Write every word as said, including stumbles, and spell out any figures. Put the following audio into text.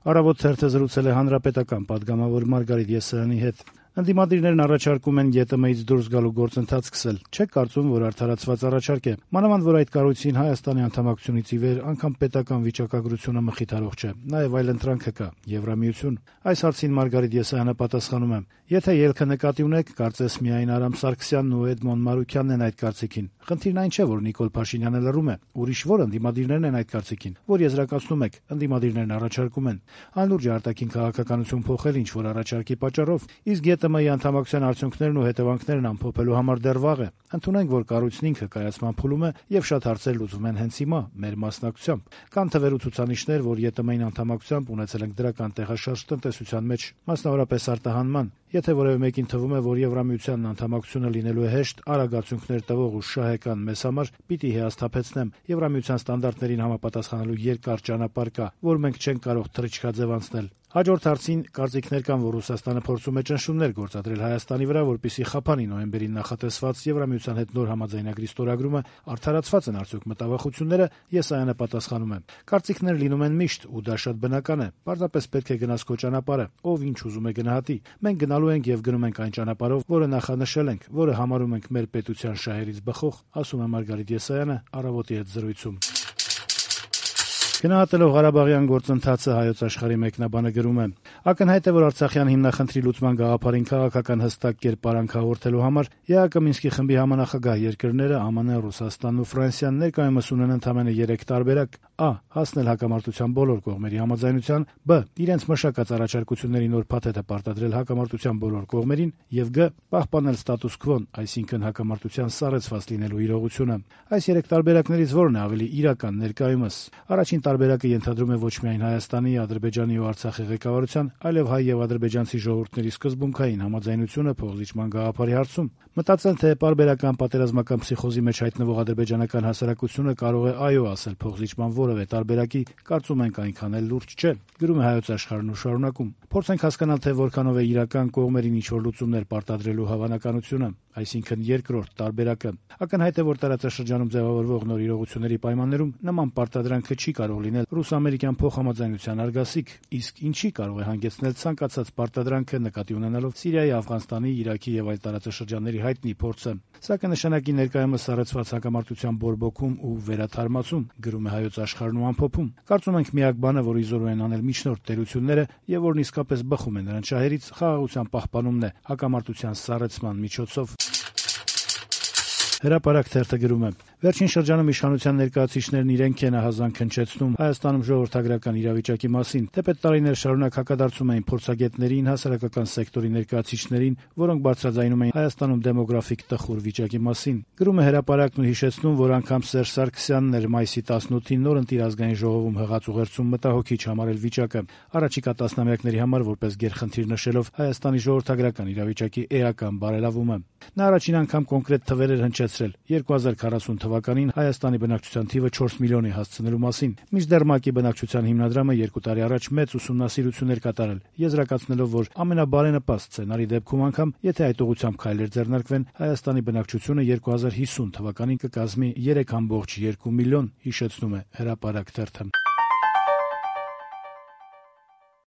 Առավոտ թերթը զրուցել է հանրապետական պատգամավոր Մարգարիտ Եսայանի հետ։ Ընդդիմադիրներն առաջարկում են ԵՏՄ-ից դուրս գալու գործընթաց սկսել։ Չեք կարծում, որ արդարացված առաջարկ է։ Մանավանդ, որ այդ կառույցին Հայաստանի անդամակցությունից ի վեր անգամ պետական վիճակագրությունը մխիթարող չէ, նաև այլընտրանքը կա՝ Եվրամիություն։ Այս հարցին Մարգարիտ Եսայանը պատասխանում է. «Եթե ելքը նկատի ունեք, կարծես միայն Արամ Սարգսյանն ու Էդմոն Մարուքյանն են այդ կարծիքին։ Խնդիրն այն չէ, որ Նիկոլ Փաշինյանը լռում է, ուրիշ որ ընդդիմադիրներն են այդ կարծիքին, որ եզրակացնում եք, ընդդիմադիրներն առաջարկում են։ Անլուրջ է արտաքին քաղաքականություն փոխել ինչ-որ առաջարկի պատճառով, իսկ ԵՏՄ-ի անդամակցության արդյունքներն ու հետևանքներն ամփոփելու համար դեռ վաղ է։ Ընդունենք, որ կառույցն ինքը կայացման փուլում է եւ շատ հարցեր լուծվում են հենց հիմա, մեր մասնակցությամբ։ Կան թվեր ու ցուցանիշներ, որ ԵՏՄ-ին անդամակցությամբ ունեցել ենք դրական տեղաշարժ տնտեսության մեջ, մասնավորապես արտահանման։ Եթե որևէ մեկին թվում է, որ Եվրամիությանն անդամակցությունը լինելու է հեշտ, արագ արդյունքներ տվող ու շահեկան մեզ համար, պիտի հիասթափեցնեմ։ Եվրամիության ստանդարտներին համապատասխանելու երկար ճանապարհ կա, որ մենք չենք կարող թռիչքաձև անցնել։ Հաջորդ հարցին կարծիքներ կան, որ Ռուսաստանը փորձում է ճնշումներ գործադրել Հայաստանի վրա, որպեսզի խափանի նոյեմբերին նախատեսված Եվրամիության հետ նոր համաձայնագրի ստորագրումը։ Արդարացված են արդյոք մտավախությունները։ Եսայանը պատասխանում է. «Կարծիքներ լինում են միշտ, ու դա շատ բնական է։ Պարզապես պետք է գնաս քո ճանապարհը, ով ինչ ուզում է գնահատի։ Մենք գնալու ենք եւ գնում ենք այն ճանապարհով, որը նախանշել ենք, որը համարում ենք մեր պետության շահերից բխող», ասում է Մարգարիտ Եսայանը Առավոտի հետ զրույցում։ Գնահատելով Ղարաբաղյան գործընթացը Հայոց Աշխարհի մեկնաբանը գրում է. «Ակնհայտ է, որ Արցախյան հիմնախնդրի լուծման գաղափարին քաղաքական հստակ կերպարանք հաղորդելու համար ԵԱԿ Մինսկի խմբի համանախագահ երկրները ԱՄՆ, Ռուսաստանն ու Ֆրանսիան ներկայումս ունեն ընդամենը երեք տարբերակ. Ա. Հասնել հակամարտության բոլոր կողմերի համաձայնության, Բ. Իրենց մշակած առաջարկությունների նոր փաթեթը պարտադրել հակամարտության բոլոր կողմերին, եւ Գ. Պահպանել ստատուս քվոն, այսինքն հակամարտության սառեցված լինելու իրողությունը։ Այս երեք տարբերակներից որն է ավելի իրական ներկայումս։ Առաջին տարբերակը ենթադրում է ոչ միայն Հայաստանի, Ադրբեջանի ու Արցախի ղեկավարության, այլև հայ եւ ադրբեջանցի ժողովուրդների սկզբունքային համաձայնությունը փոխզիջման գաղափարի հարցում։ Մտածել, թե պարբերական պատերազմական փսիխոզի մեջ հայտնվող ադրբեջանական հասարակությունը կարող է այո ասել փոխզիջման որևէ տարբերակի, կարծում ենք այնքան էլ լուրջ չէ, գրում է Հայոց Աշխարհն ու շարունակում. Փորձենք հասկանալ, թե որքանով է իրական կողմերին ինչ-որ լուծումներ պարտադրելու հավանականությունը, այսինքն երկրորդ տարբերակը։ Ակնհայտ է, որ տարածաշրջանում ձևավորվող նոր իրողությունների պայմաններում նման պարտադրանքը չի կարող լինել ռուս-ամերիկյան փոխհամաձայնության արգասիկ, իսկ ինչի կարող է հանգեցնել ցանկացած պարտադրանքը նկատի ունենալով Սիրիայի, Աֆղանստանի, Իրաքի եւ այլ տարածաշրջանների հայտնի փորձը։ Սա կնշանակի ներկայումս սառեցված հակամարտության բորբոքում ու վերաթարմացում, գրում է Հայոց Աշխարհն ու ամփոփում։ Կարծում ենք միակ բանը, որ իզորու են անել միջնորդ տերությունները եւ որն իսկապես բխում է նրանց շահերից, խաղաղության պահպանումն է հակամարտության սառեցման միջոցով։ Հրապարակ թերթը գրում է. «Վերջին շրջանում իշխանության ներկայացուցիչներն իրենք են ահազանգ հնչեցնում Հայաստանում ժողովրդագրական իրավիճակի մասին, թեպետ տարիներ շարունակ հակադարձում էին փորձագետներին, հասարակական սեկտորի ներկայացուցիչներին, որոնք բարձրաձայնում էին Հայաստանում դեմոգրաֆիկ տխուր վիճակի մասին»։ Գրում է Հրապարակն ու հիշեցնում, որ անգամ Սերժ Սարգսյանն էր մայիսի տասնութին նորընտիր ազգային ժողովում հղած ուղերձում մտահոգիչ համարել վիճակը, առաջիկա տասնամյակների համար որպես գերխնդիր նշելով Հայաստանի ժողովրդագրական իրավիճակի էական բարելավումը։ Նա առաջին անգամ կոնկրետ թվեր էր հնչեցրել երկու հազար քառասուն թվականին Հայաստանի բնակչության թիվը չորս միլիոնի հասցնելու մասին։ Մինչդեռ ՄԱԿ-ի բնակչության հիմնադրամը երկու տարի առաջ մեծ ուսումնասիրություն էր կատարել, եզրակացնելով, որ ամենաբարենպաստ սցենարի դեպքում անգամ, եթե այդ ուղղությամբ քայլեր ձեռնարկվեն, Հայաստանի բնակչությունը երկու հազար հիսուն թվականին կկազմի երեք կόμma երկու միլիոն, հիշեցնում է Հրապարակ թերթը։